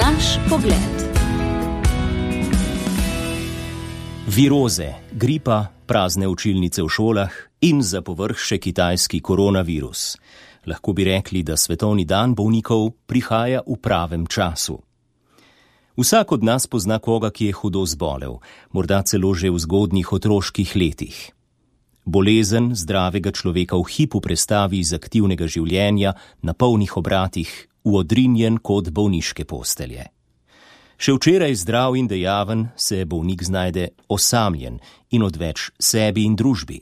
Naš pogled. Viroze, gripa, prazne učilnice v šolah in za povrh še kitajski koronavirus. Lahko bi rekli, da svetovni dan bolnikov prihaja v pravem času. Vsak od nas pozna koga, ki je hudo zbolel, morda celo že v zgodnjih otroških letih. Bolezen zdravega človeka v hipu prestavi iz aktivnega življenja na polnih obratih v odrinjen kot bolniške postelje. Še včeraj zdrav in dejaven se bolnik znajde osamljen in odveč sebi in družbi.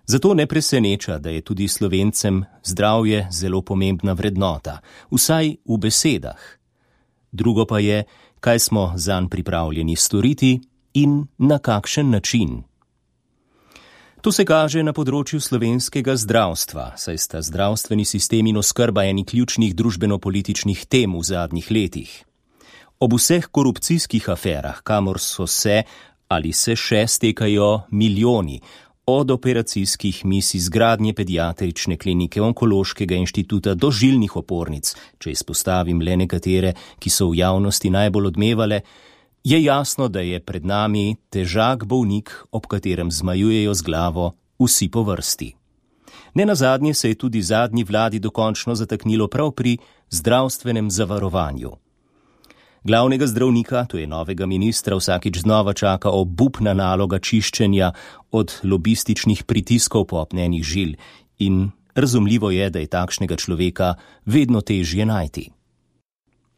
Zato ne preseneča, da je tudi Slovencem zdravje zelo pomembna vrednota, vsaj v besedah. Drugo pa je, kaj smo zanj pripravljeni storiti in na kakšen način. To se kaže na področju slovenskega zdravstva, saj sta zdravstveni sistem in oskrba eni ključnih družbeno-političnih tem v zadnjih letih. Ob vseh korupcijskih aferah, kamor so se ali se še stekajo milijoni, od operacijskih mis izgradnje pediatrične klinike, onkološkega inštituta do žilnih opornic, če izpostavim le nekatere, ki so v javnosti najbolj odmevale, je jasno, da je pred nami težak bolnik, ob katerem zmajujejo z glavo vsi po vrsti. Nenazadnje se je tudi zadnji vladi dokončno zataknilo prav pri zdravstvenem zavarovanju. Glavnega zdravnika, to je novega ministra, vsakič znova čaka obupna naloga čiščenja od lobističnih pritiskov popnenih žil in razumljivo je, da je takšnega človeka vedno težje najti.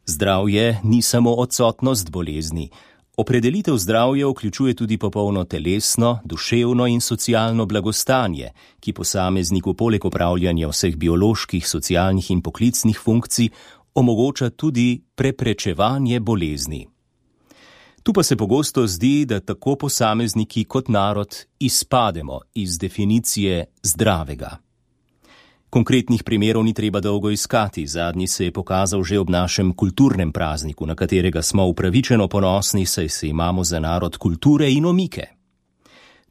Zdravje ni samo odsotnost bolezni. Opredelitev zdravja vključuje tudi popolno telesno, duševno in socialno blagostanje, ki posamezniku poleg opravljanja vseh bioloških, socialnih in poklicnih funkcij omogoča tudi preprečevanje bolezni. Tu pa se pogosto zdi, da tako posamezniki kot narod izpademo iz definicije zdravega. Konkretnih primerov ni treba dolgo iskati, zadnji se je pokazal že ob našem kulturnem prazniku, na katerega smo upravičeno ponosni, saj se imamo za narod kulture in omike.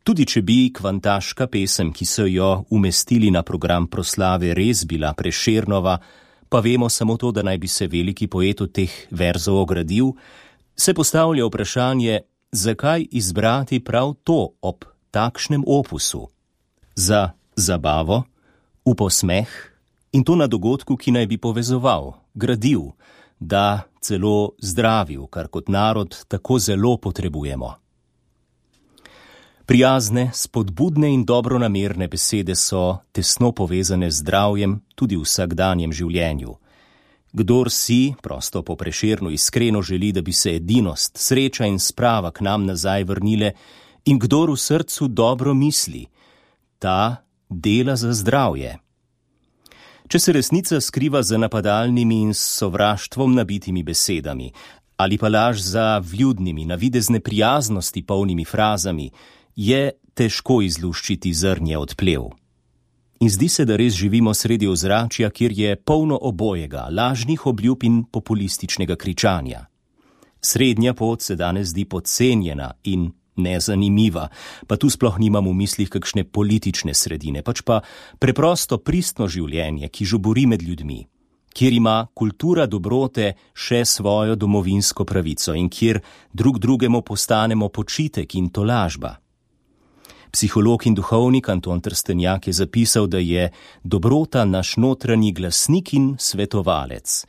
Tudi če bi kvantaška pesem, ki so jo umestili na program proslave, res bila Prešernova, pa vemo samo to, da naj bi se veliki poet od teh verzov ogradil, se postavlja vprašanje, zakaj izbrati prav to ob takšnem opusu? Za zabavo, v posmeh in to na dogodku, ki naj bi povezoval, gradil, da celo zdravil, kar kot narod tako zelo potrebujemo. Prijazne, spodbudne in dobronamerne besede so tesno povezane z zdravjem tudi v vsakdanjem življenju. Kdor si, prosto po Prešernu, iskreno želi, da bi se edinost, sreča in sprava k nam nazaj vrnile in kdor v srcu dobro misli, ta dela za zdravje. Če se resnica skriva za napadalnimi in sovraštvom nabitimi besedami ali pa laž za vljudnimi, navidezne prijaznosti polnimi frazami, je težko izluščiti zrnje od plev. In zdi se, da res živimo sredi ozračja, kjer je polno obojega, lažnih obljub in populističnega kričanja. Srednja pot se danes zdi podcenjena in nezanimiva, pa tu sploh nimam v mislih kakšne politične sredine, pač pa preprosto pristno življenje, ki žubori med ljudmi, kjer ima kultura dobrote še svojo domovinsko pravico in kjer drug drugemu postanemo počitek in tolažba. Psiholog in duhovnik Anton Trstenjak je zapisal, da je dobrota naš notranji glasnik in svetovalec.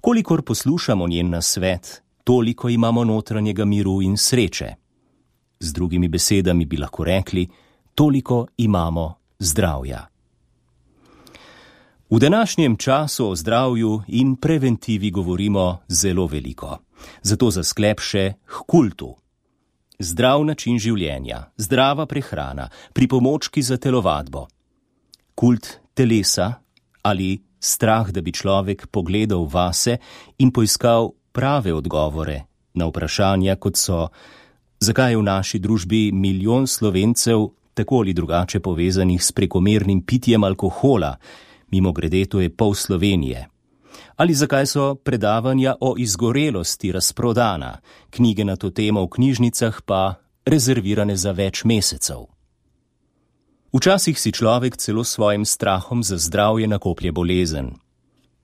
Kolikor poslušamo njen nasvet, toliko imamo notranjega miru in sreče. Z drugimi besedami bi lahko rekli, toliko imamo zdravja. V današnjem času o zdravju in preventivi govorimo zelo veliko. Zato za sklep še k kultu. Zdrav način življenja, zdrava prehrana, pripomočki za telovadbo. Kult telesa ali strah, da bi človek pogledal vase in poiskal prave odgovore na vprašanja, kot so, zakaj je v naši družbi milijon Slovencev tako ali drugače povezanih s prekomernim pitjem alkohola, mimogrede to je pol Slovenije. Ali zakaj so predavanja o izgorelosti razprodana, knjige na to temo v knjižnicah pa rezervirane za več mesecev. Včasih si človek celo s svojim strahom za zdravje nakoplje bolezen.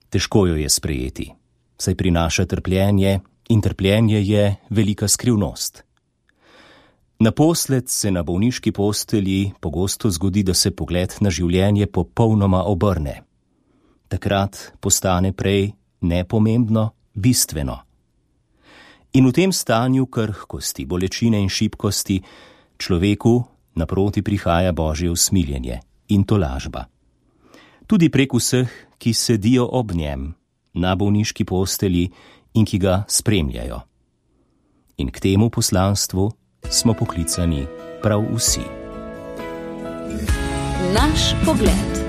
Težko jo je sprejeti. saj prinaša trpljenje in trpljenje je velika skrivnost. Naposled se na bolniški postelji pogosto zgodi, da se pogled na življenje popolnoma obrne. Takrat postane prej nepomembno, bistveno. In v tem stanju krhkosti, bolečine in šibkosti človeku naproti prihaja Božje usmiljenje in tolažba. Tudi prek vseh, ki sedijo ob njem na bolniški postelji in ki ga spremljajo. In k temu poslanstvu smo poklicani prav vsi. Naš pogled.